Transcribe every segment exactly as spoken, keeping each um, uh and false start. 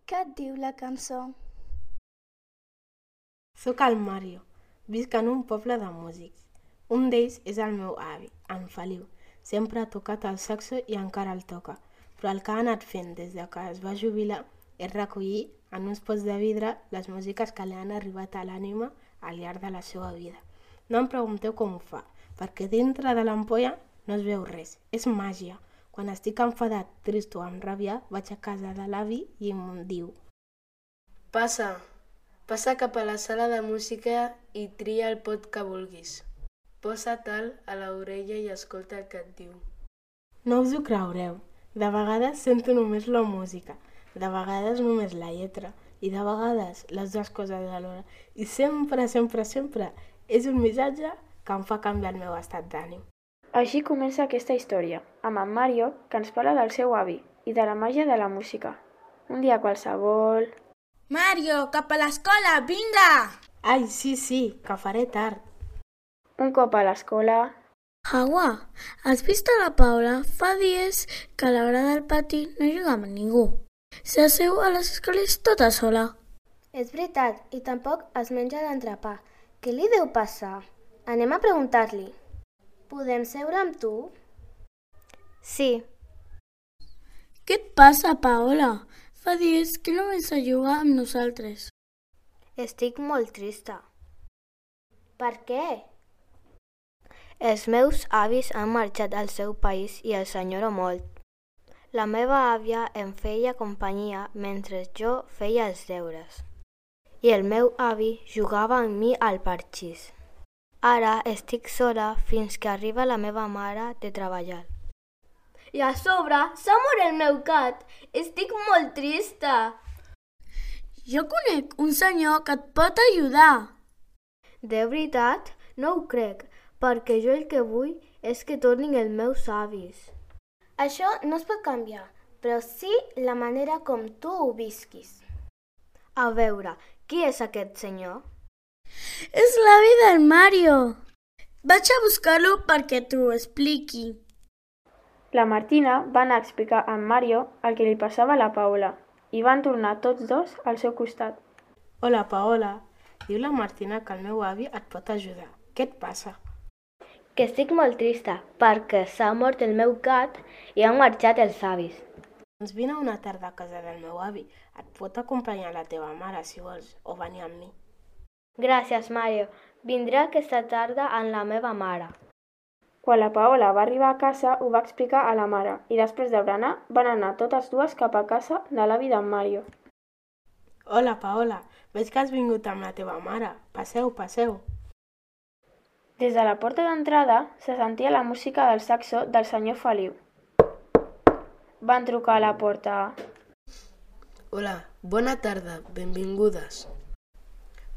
Què et diu la cançó? Soc el Mario. Visc en un poble de músics. Un d'ells és el meu avi, en Feliu. Sempre ha tocat el saxo i encara el toca, però el que ha anat fent des de que es va jubilar és recollir en uns pots de vidre les músiques que li han arribat a l'ànima al llarg de la seva vida. No em pregunteu com ho fa, perquè dintre de l'ampolla no es veu res, és màgia. Quan estic enfadat, trist o amb ràbia, vaig a casa de l'avi i em diu: Passa, passa cap a la sala de música i tria el pot que vulguis. Posa-te'l a l'orella i escolta el que et diu. No us ho creureu. De vegades sento només la música, de vegades només la lletra i de vegades les dues coses alhora. I sempre, sempre, sempre és un missatge que em fa canviar el meu estat d'ànim. Així comença aquesta història, amb en Mario, que ens parla del seu avi i de la màgia de la música. Un dia qualsevol... Mario, cap a l'escola, vinga! Ai, sí, sí, que faré tard. Un cop a l'escola... Agua, has vist a la Paula? Fa dies que a l'hora del pati no juga amb ningú. S'asseu a les escales tota sola. És veritat, i tampoc es menja l'entrepà. Què li deu passar? Anem a preguntar-li. Podem seure amb tu? Sí. Què et passa, Paola? Fa dies que no vens a jugar amb nosaltres. Estic molt trista. Per què? Els meus avis han marxat al seu país i els enyoro molt. La meva àvia em feia companyia mentre jo feia els deures. I el meu avi jugava amb mi al parxís. Ara estic sola fins que arriba la meva mare de treballar. I a sobre s'ha mort el meu gat. Estic molt trista. Jo conec un senyor que et pot ajudar. De veritat? No ho crec, perquè jo el que vull és que tornin els meus avis. Això no es pot canviar, però sí la manera com tu ho visquis. A veure, qui és aquest senyor? És l'avi del Mario. Vaig a buscar-lo perquè t'ho expliqui. La Martina va anar a explicar a en Mario el que li passava a la Paola i van tornar tots dos al seu costat. Hola, Paola. Diu la Martina que el meu avi et pot ajudar. Què et passa? Que estic molt trista perquè s'ha mort el meu gat i han marxat els avis. Doncs vine una tarda a casa del meu avi. Et pot acompanyar la teva mare, si vols, o venir amb mi. Gràcies, Mario. Vindré aquesta tarda amb la meva mare. Quan la Paola va arribar a casa, ho va explicar a la mare i després de berenar van anar totes dues cap a casa de l'avi d'en Mario. Hola, Paola. Veig que has vingut amb la teva mare. Passeu, passeu. Des de la porta d'entrada se sentia la música del saxo del senyor Feliu. Van trucar a la porta. Hola, bona tarda, benvingudes.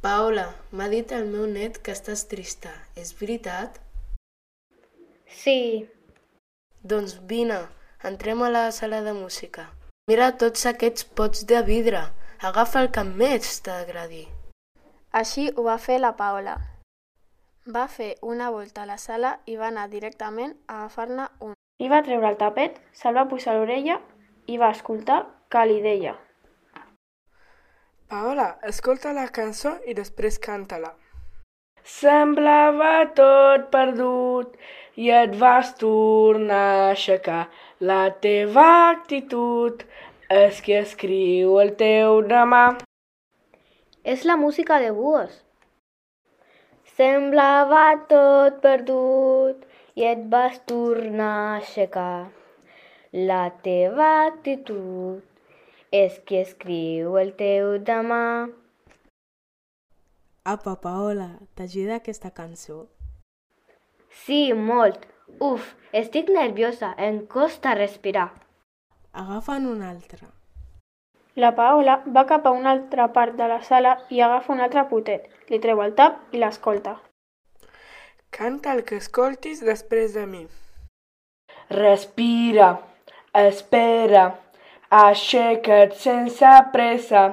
Paola, m'ha dit el meu net que estàs trista, és veritat? Sí. Doncs vine, entrem a la sala de música. Mira tots aquests pots de vidre, agafa el que més t'agradi. Així ho va fer la Paola. Va fer una volta a la sala i va anar directament a agafar-ne un. I va treure el tapet, se'l va posar a l'orella i va escoltar que li deia: Paola, escolta la cançó i després canta-la. Semblava tot perdut i et vas tornar a aixecar. La teva actitud és qui escriu el teu demà. És la música de Búhos. Semblava tot perdut i et vas tornar a aixecar. La teva actitud és qui escriu el teu demà. Apa, Paola, t'ajuda aquesta cançó? Sí, molt. Uf, estic nerviosa, em costa respirar. Agafa'n una altra. La Paola va cap a una altra part de la sala i agafa un altre potet, li treu el tap i l'escolta. Canta el que escoltis després de mi. Respira, espera, aixeca't sense pressa,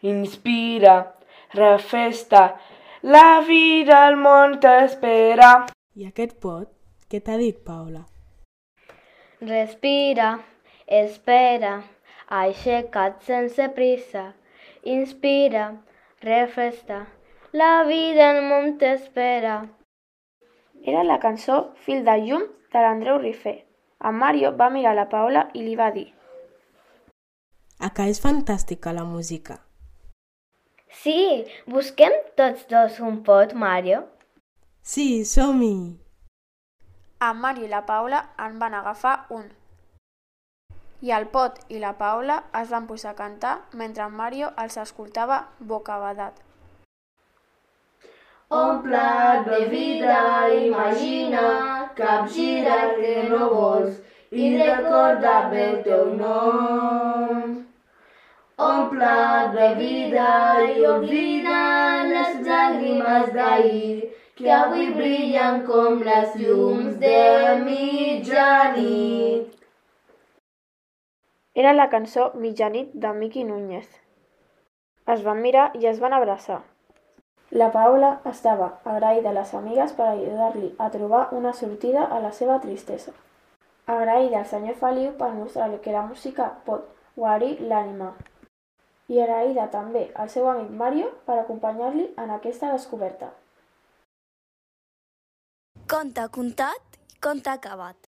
inspira, refesta, la vida al món t'espera. I aquest pot, què t'ha dit, Paola? Respira, espera, aixeca't sense prisa, inspira, refresta, la vida al món t'espera. Era la cançó Fil de llum de l'Andreu Rifé. En Mario va mirar la Paola i li va dir: A que és fantàstica la música. Sí, busquem tots dos un pot, Mario? Sí, som-hi! En Mario i la Paola en van agafar un. I el Pot i la Paola es van posar a cantar mentre en Mario els escoltava bocabadat. Un plat de vida, imagina, capgira el que no vols i recorda bé el teu nom. Un plat de vida i oblida les llàgrimes d'ahir que avui brillen com les llums de mitjanit. Era la cançó Mitjanit de Miqui Núñez. Es van mirar i es van abraçar. La Paola estava agraïda a les amigues per ajudar-li a trobar una sortida a la seva tristesa. Agraïda al senyor Feliu per mostrar-li que la música pot guarir l'ànima. I agraïda també al seu amic Mario per acompanyar-li en aquesta descoberta. Conte contat i conte acabat.